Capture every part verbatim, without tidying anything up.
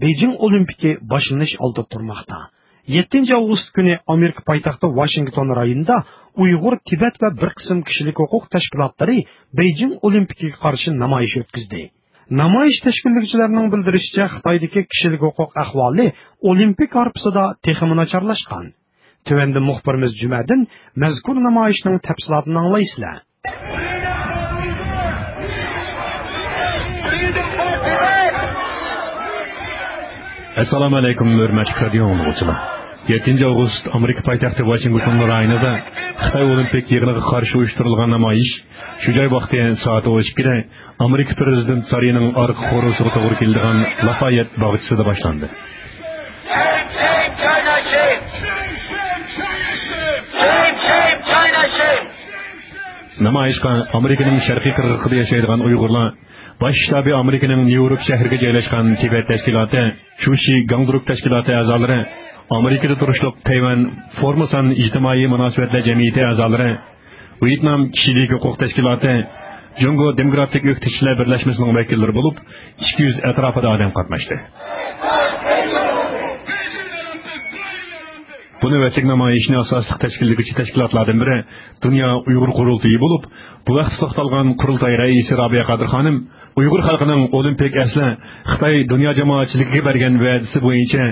بېيجىڭ ئولىمپىكى باشلىنىش ئالدىدا تۇرماقتا. يەتتىنچى ئاۋغۇست كۈنى ئامېرىكا پايتەختى ۋاشىنگتون رايونىدا ئۇيغۇر، تىبەت ۋە بىر قىسىم كىشىلىك ھوقۇق تەشكىلاتلىرى بېيجىڭ ئولىمپىكىگە قارشى نامايىش ئۆتكۈزدى. نامايىش تەشكىللىگۈچىلەرنىڭ بىلدۈرۈشىچە، خىتايدىكى كىشىلىك ھوقۇق ئەھۋالى ئولىمپىك ھارپىسىدا تېخىمۇ ناچارلاشقان. تۆۋەندە مۇخبىرىمىز جۈمەدىن مەزكۇر نامايىشنىڭ تەپسىلاتىنى ئاڭلايسىلەر. ئەسسالامۇ ئەلەيكۇم، ھۆرمەتلىك رادىيو ئاڭلىغۇچىلار. يەتتىنچى ئاۋغۇست ئامېرىكا پايتەختى ۋاشىنگتون رايونىدا خىتاي ئولىمپىك يىغىنىغا قارشى ئۇيۇشتۇرۇلغان نامايىش شۇ جاي ۋاقتى سائەت ئون ئىككىدە ئامېرىكا پىرېزىدېنت سارىيىنىڭ ئارقا قورۇسىغا توغرا كېلىدىغان لافايېت باغچىسىدا باشلاندى. نامايىشقا ئامېرىكىنىڭ شەرقىي قىرغىقىدا ياشايدىغان ئۇيغۇرلار، باش شتابى ئامېرىكىنىڭ نيۇ يورك شەھىرىگە جايلاشقان تىبەت تەشكىلاتى، چۇشى گاڭدۇرۇك تەشكىلاتى ئەزالىرى، ئامېرىكىدا تۇرۇشلۇق تەيۋەن فورموسان ئىجتىمائىي مۇناسىۋەتلەر جەمئىيىتى ئەزالىرى، ۋيېتنام كىشىلىك ھوقۇق تەشكىلاتى، جۇڭگو دېموكراتىك ئۆكتىچىلەر بىرلەشمىسىنىڭ ۋەكىللىرى بولۇپ، ئىككى يۈز ئەتراپىدا ئادەم قاتناشتى. بۇ نۆۋەتلىك نامايىشنى ئاساسلىق تەشكىللىگۈچى تەشكىلاتلاردىن بىرى دۇنيا ئۇيغۇر قۇرۇلتىيى بولۇپ، بۇ ھەقتە توختالغان قۇرۇلتاي رەئىسى رابىيە قادىر خانىم، ئۇيغۇر خەلقىنىڭ ئولىمپىك ئەسلى خىتاي دۇنيا جامائەتچىلىكىگە بەرگەن ۋەدىسى بويىچە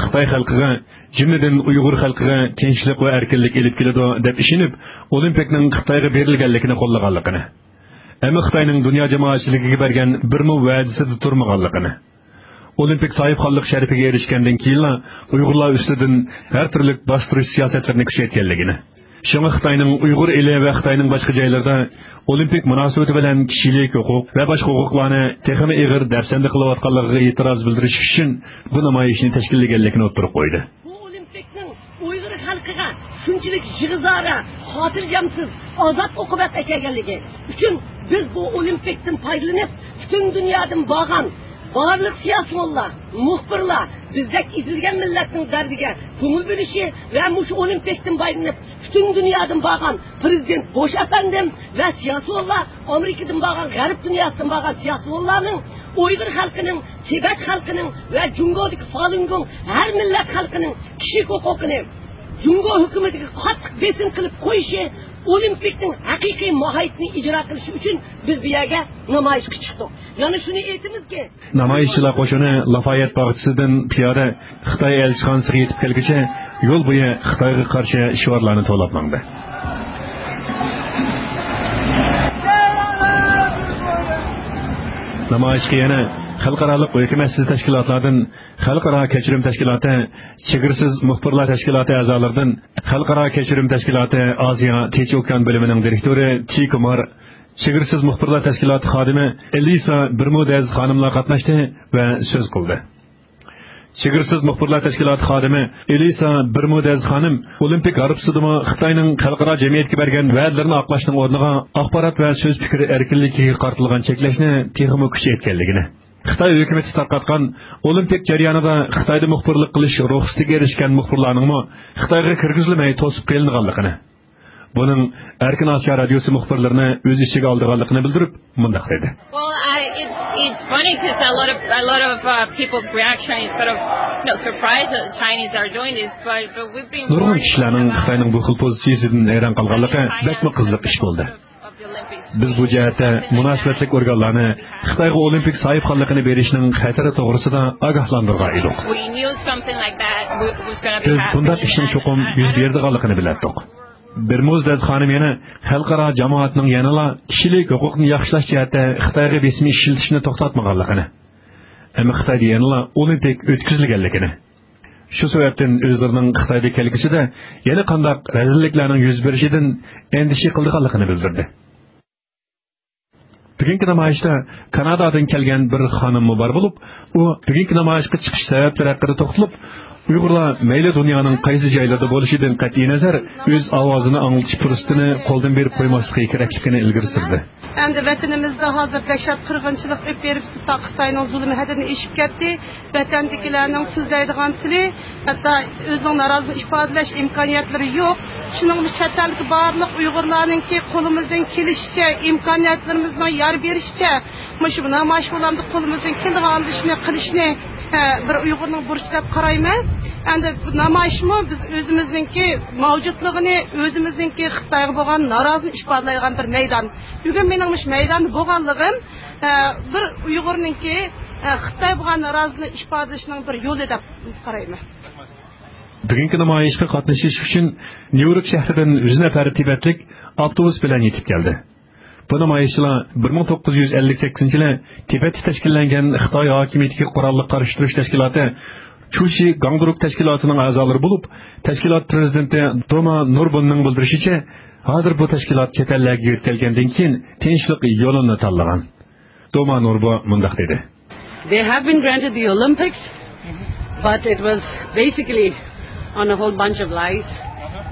خىتاي خەلقىگە، جۈملىدىن ئۇيغۇر خەلقىگە تىنچلىق ۋە ئەركىنلىك ئېلىپ كېلىدۇ دەپ ئىشىنىپ، ئولىمپىكنىڭ خىتايغا بېرىلگەنلىكىنى قوللىغانلىقىنى، ئەمما خىتاينىڭ دۇنيا جامائەتچىلىكىگە بەرگەن بىرمۇ ۋەدىسىدە تۇرمىغانلىقىنى، ئولىمپىك ساھىبخانلىق شەرىپىگە ئېرىشكەندىن كېيىنلا ئۇيغۇرلار ئۈستىدىن ھەر تۈرلۈك باستۇرۇش سىياسەتلىرىنى كۈچەيتكەنلىكىنى، شۇڭا خىتاينىڭ ئۇيغۇر ئېلى ۋە خىتاينىڭ باشقا جايلىرىدا ئولىمپىك مۇناسىۋىتى بىلەن كىشىلىك ھوقۇق ۋە باشقا ھوقۇقلارنى تېخىمۇ ئېغىر دەپسەندە قىلىۋاتقانلىقىغا ئېتىراز بىلدۈرۈش ئۈچۈن بۇ نامايىشنى تەشكىللىگەنلىكىنى ئوتتۇرىغا قويدى. بۇ ئولىمپىكنىڭ ئۇيغۇر خەلقىگە شۇنچىلىك يىغا زارا، خاتىرجەمسىز، ئازاب ئوقۇبەت ئەكەلگەنلىكى ئۈچۈن بىز بۇ ئولىمپىكتىن پايدىلىنىپ، پۈتۈن دۇنيادىن بارغان بارلىق سىياسىيونلار، مۇخبىرلار بىزدەك ئېزىلگەن مىللەتنىڭ دەردىگە كۆڭۈل بۆلۈشى ۋە مۇشۇ ئولىمپىكتىن پايدىلىنىپ، پۈتۈن دۇنيادىن بارغان پىرېزىدېنت بوش ئەپەندىم ۋە سىياسىيونلار، ئامېرىكىدىن بارغان، غەرب دۇنياسىدىن بارغان سىياسىيونلارنىڭ ئۇيغۇر خەلقىنىڭ، تىبەت خەلقىنىڭ ۋە جۇڭگودىكى فالۇنگوڭ ھەر مىللەت خەلقىنىڭ كىشىلىك ھوقۇقىنى جۇڭگو ھۆكۈمىتىگە قاتتىق بېسىم قىلىپ قويۇشى ئولىمپىكنىڭ ھەقىقىي ماھىيىتىنى ئىجرا قىلىشى ئۈچۈن بىز بۇ يەرگە نامايىشقا چىقتۇق. يەنە شۇنى ئېيتىمىزكى، نامايىشچىلار قوشۇنى لافايېت باغچىسىدىن پىيادە خىتاي ئەلچىخانىسىغا يېتىپ كەلگۈچە يول بويى خىتايغا قارشى شوئارلارنى توۋلاپ ماڭدى. نامايىشقا يەنە خەلقئارالىق ھۆكۈمەتسىز تەشكىلاتلاردىن خەلقئارا كەچۈرۈم تەشكىلاتى، چېگرىسىز مۇخبىرلار تەشكىلاتى ئەزالىرىدىن خەلقئارا كەچۈرۈم تەشكىلاتى ئازىيا تىنچ ئوكيان بۆلۈمىنىڭ دىرېكتورى تى كۇمار، چېگرىسىز مۇخبىرلار تەشكىلاتى خادىمى ئېلىسا بىرمۇدەز خانىملار قاتناشتى ۋە سۆز قىلدى. چېگرىسىز مۇخبىرلار تەشكىلاتى خادىمى ئېلىسا بىرمۇدەز خانىم ئولىمپىك ھارپىسىدىمۇ خىتاينىڭ خەلقئارا جەمئىيەتكە بەرگەن ۋەدىلىرىنى ئاقلاشنىڭ ئورنىغا ئاخبارات ۋە سۆز پىكرى ئەركىنلىكىگە قارىتىلغان چەكلەشنى تېخىمۇ كۈچەيتكەنلىكىنى، خىتاي ھۆكۈمىتى تارقاتقان ئولىمپىك جەريانىدا خىتايدا مۇخبىرلىق قىلىش رۇخسىتىگە ئېرىشكەن مۇخبىرلارنىڭمۇ خىتايغا كىرگۈزۈلمەي توسۇپ قېلىنغانلىقىنى، بۇنىڭ ئەركىن ئاسىيا رادىيوسى مۇخبىرلىرىنى ئۆز ئىچىگە ئالىدىغانلىقىنى بىلدۈرۈپ، مۇنداق دېدى. Well, I, it's, it's funny 'cause a lot of, a lot of, uh, people's reaction is sort of, you know, surprised that the Chinese are doing this, but, but we've been نۇرغۇن كىشىلەرنىڭ خىتاينىڭ بۇ خىل پوزىتسىيىسىدىن ھەيران قالغانلىقى بەكمۇ قىزىق ئىش بولدى. بىز بۇ جەھەتتە مۇناسىۋەتلىك ئورگانلارنى خىتايغا ئولىمپىك ساھىبخانلىقىنى بېرىشنىڭ خەتىرى توغرىسىدا ئاگاھلاندۇرغان ئىدۇق. We knew something like that was gonna be happening. بىز بۇنداق ئىشنىڭ چوقۇم يۈز بېرىدىغانلىقىنى بىلەتتۇق. بىرمۇزدەز خانىم يەنە خەلقئارا جامائەتنىڭ يەنىلا كىشىلىك ھوقۇقنى ياخشىلاش جەھەتتە خىتايغا بېسىم ئىشلىتىشنى توختاتمىغانلىقىنى، ئەمما خىتايدا يەنىلا ئولىمپىك ئۆتكۈزۈلگەنلىكىنى، شۇ سەۋەبتىن ئۆزلىرىنىڭ خىتايدا كەلگۈسىدە يەنە قانداق رەزىللىكلەرنىڭ يۈز بېرىشىدىن ئەندىشە قىلىدىغانلىقىنى بىلدۈردى. بۈگۈنكى نامايىشتا كانادادىن كەلگەن بىر خانىممۇ بار بولۇپ، ئۇ بۈگۈنكى نامايىشقا چىقىش سەۋەبلىرى ھەققىدە توختىلىپ، ئۇيغۇرلار مەيلى دۇنيانىڭ قايسى جايلىرىدا بولۇشىدىن قەتئىينەزەر، ئۆز ئاۋازىنى ئاڭلىتىش پۇرسىتىنى قولدىن بېرىپ قويماسلىقى كېرەكلىكىنى ئىلگىرى سۈردى. ئەمدى ۋەتىنىمىزدە ھازىر دەھشەت قىرغىنچىلىق ئۆتۈپ بېرىپ، خىتاينىڭ زۇلۇمى ھەددىدىن ئېشىپ كەتتى. ۋەتەندىكىلەرنىڭ سۆزلەيدىغان تىلى، ھەتتا ئۆزىنىڭ نارازىلىقىنى ئىپادىلەش ئىمكانىيەتلىرى يوق. شۇنىڭ بىلەن چەت ئەلدىكى بارلىق ئۇيغۇرلارنىڭكى قولىمىزدىن كېلىشىچە، ئىمكانىيەتلىرىمىزنىڭ يار بېرىشىچە، مۇشۇ نامايىش بولامدا قولىمىزدىن كېلىدىغان ئىشنى قىلىشنى بىر ئۇيغۇرنىڭ بۇرچى دەپ قارايمەن. ئەمدى بۇ نامايىشمۇ بىز ئۆزىمىزنىڭكى مەۋجۇتلۇقىنى، ئۆزىمىزنىڭكى خىتايغا بولغان نارازىلىقنى ئىپادىلەيدىغان بىر مەيدان. بۈگۈن مېنىڭ مۇشۇ مەيداندا بولغانلىقىم، ئە، بىر ئۇيغۇرنىڭكى، ئە، خىتايغا بولغان نارازىلىقنى ئىپادىلىشىنىڭ بىر يولى دەپ قارايمەن. بۈگۈنكى نامايىشقا قاتنىشىش ئۈچۈن نيۇ يورك شەھىرىدىن يۈز نەپەر تىبەتلىك ئاپتوبۇس بىلەن يېتىپ كەلدى. بۇ نامايىشچىلار بىر مىڭ توققۇز يۈز ئەللىك سەككىزىنچى يىلى تىبەتتە تەشكىللەنگەن خىتاي ھاكىمىيىتىگە قوراللىق قارشى تۇرۇش تەشكىلاتى چۇشى گاڭدۇرۇك تەشكىلاتىنىڭ ئەزالىرى بولۇپ، تەشكىلات پىرېزىدېنتى دوما نۇربۇننىڭ بىلدۈرۈشىچە، ھازىر بۇ تەشكىلات چەت ئەللەرگە يۆتكەلگەندىن كېيىن تىنچلىق يولىنى تاللىغان. دوما نۇربۇ مۇنداق دېدى. They have been granted the Olympics, but it was basically on a whole bunch of lies.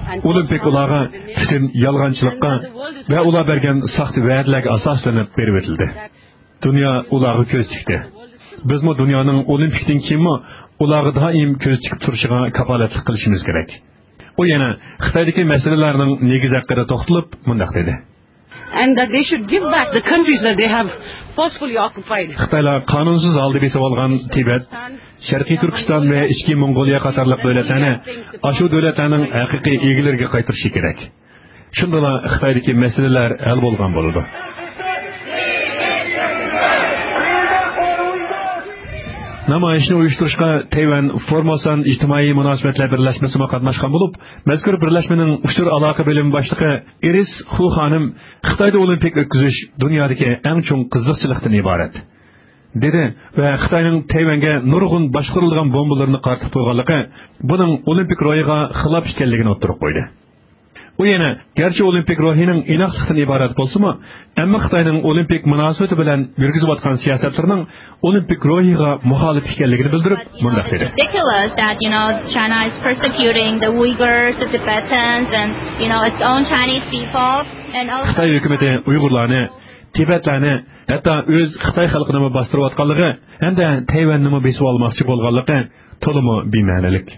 ئولىمپىك ئۇلارغا پۈتۈن يالغانچىلىققا ۋە ئۇلار بەرگەن ساختا ۋەدىلەرگە ئاساسلىنىپ بېرىۋېتىلدى. دۇنيا ئۇلارغا كۆز تىكتى. بىزمۇ دۇنيانىڭ ئولىمپىكتىن كېيىنمۇ ئۇلارغا دائىم كۆز تىكىپ تۇرۇشىغا كاپالەتلىك قىلىشىمىز كېرەك. ئۇ يەنە خىتايدىكى مەسىلىلەرنىڭ نېگىزى ھەققىدە توختىلىپ مۇنداق دېدى. And that they should give back the countries that they have forcefully occupied. خىتايلار قانۇنسىز ھالدا بېسىۋالغان تىبەت، شەرقىي تۈركىستان ۋە ئىچكى موڭغۇلىيە قاتارلىق دۆلەتلەرنى ئاشۇ دۆلەتلەرنىڭ ھەقىقىي ئىگىلىرىگە قايتۇرۇشى كېرەك. شۇندىلا خىتايدىكى مەسىلىلەر ھەل بولغان بولىدۇ. نامايىشنى ئۇيۇشتۇرۇشقا تەيۋەن فورموسان ئىجتىمائىي مۇناسىۋەتلەر بىرلەشمىسىمۇ قاتناشقان بولۇپ، مەزكۇر بىرلەشمىنىڭ ئۇچۇر ئالاقە بۆلۈمى باشلىقى ئىرىس خۇ خانىم خىتايدا ئولىمپىك ئۆتكۈزۈش دۇنيادىكى ئەڭ چوڭ قىزىقچىلىقتىن ئىبارەت، دېدى ۋە خىتاينىڭ تەيۋەنگە نۇرغۇن باشقۇرۇلىدىغان بومبىلىرىنى قارىتىپ قويغانلىقى بۇنىڭ ئولىمپىك روھىغا خىلاپ ئىكەنلىكىنى ئوتتۇرىغا قويدى. ئۇ يەنە، گەرچە ئولىمپىك روھىنىڭ ئىناقلىقتىن ئىبارەت بولسىمۇ، ئەمما خىتاينىڭ ئولىمپىك مۇناسىۋىتى بىلەن يۈرگۈزۈۋاتقان سىياسەتلىرىنىڭ ئولىمپىك روھىغا مۇخالىپ ئىكەنلىكىنى بىلدۈرۈپ، مۇنداق دېدى. Ridiculous that, you know, China is persecuting the Uyghurs, the Tibetans, and, you know, its own Chinese people, and also خىتاي ھۆكۈمىتى ئۇيغۇرلارنى، تىبەتلەرنى، ھەتتا ئۆز خىتاي خەلقىنىمۇ باستۇرۇۋاتقانلىقى ھەمدە تەيۋەننىمۇ بېسىۋالماقچى بولغانلىقى تولىمۇ بىمەنىلىك.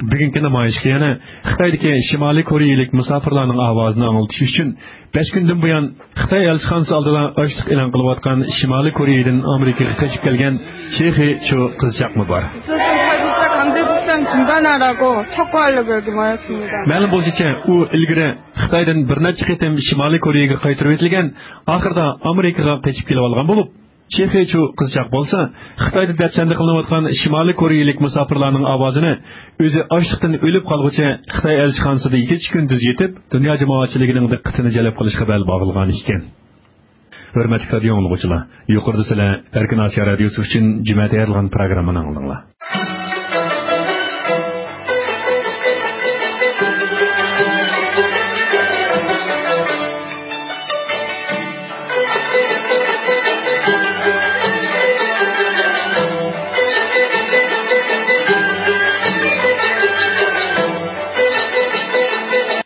بۈگۈنكى نامايىشقا يەنە خىتايدىكى شىمالىي كورېيىلىك مۇساپىرلارنىڭ ئاۋازىنى ئاڭلىتىش ئۈچۈن بەش كۈندىن بۇيان خىتاي ئەلچىخانىسى ئالدىدا ئاچلىق ئېلان قىلىۋاتقان شىمالىي كورېيىدىن ئامېرىكىغا قېچىپ كەلگەن شېخې چۇ قىزچاقمۇ بار. 어쨌든 탈북자 강제국장 중단하라고 촉구하려고 여기 모였습니다. مەلۇم بولۇشىچە، ئۇ ئىلگىرى خىتايدىن بىر نەچچە قېتىم شىمالىي كورېيىگە قايتۇرۇۋېتىلگەن، ئاخىرىدا ئامېرىكىغا قېچىپ كېلىۋالغان بولۇپ، شېخې چۇ قىزچاق بولسا، خىتايدا دەپسەندە قىلىنىۋاتقان شىمالىي كورېيىلىك مۇساپىرلارنىڭ ئاۋازىنى ئۆزى ئاچلىقتىن ئۆلۈپ قالغۇچە خىتاي ئەلچىخانىسىدا كېچە-كۈندۈز يېتىپ، دۇنيا جامائەتچىلىكىنىڭ دىققىتىنى جەلپ قىلىشقا بەل باغلىغان ئىكەن. ھۆرمەتلىك رادىيو ئاڭلىغۇچىلار، يۇقىرىدا سىلەر ئەركىن ئاسىيا رادىيوسى ئۈچۈن جۈمە تەييارلىغان پروگراممىنى ئاڭلىدىڭلار.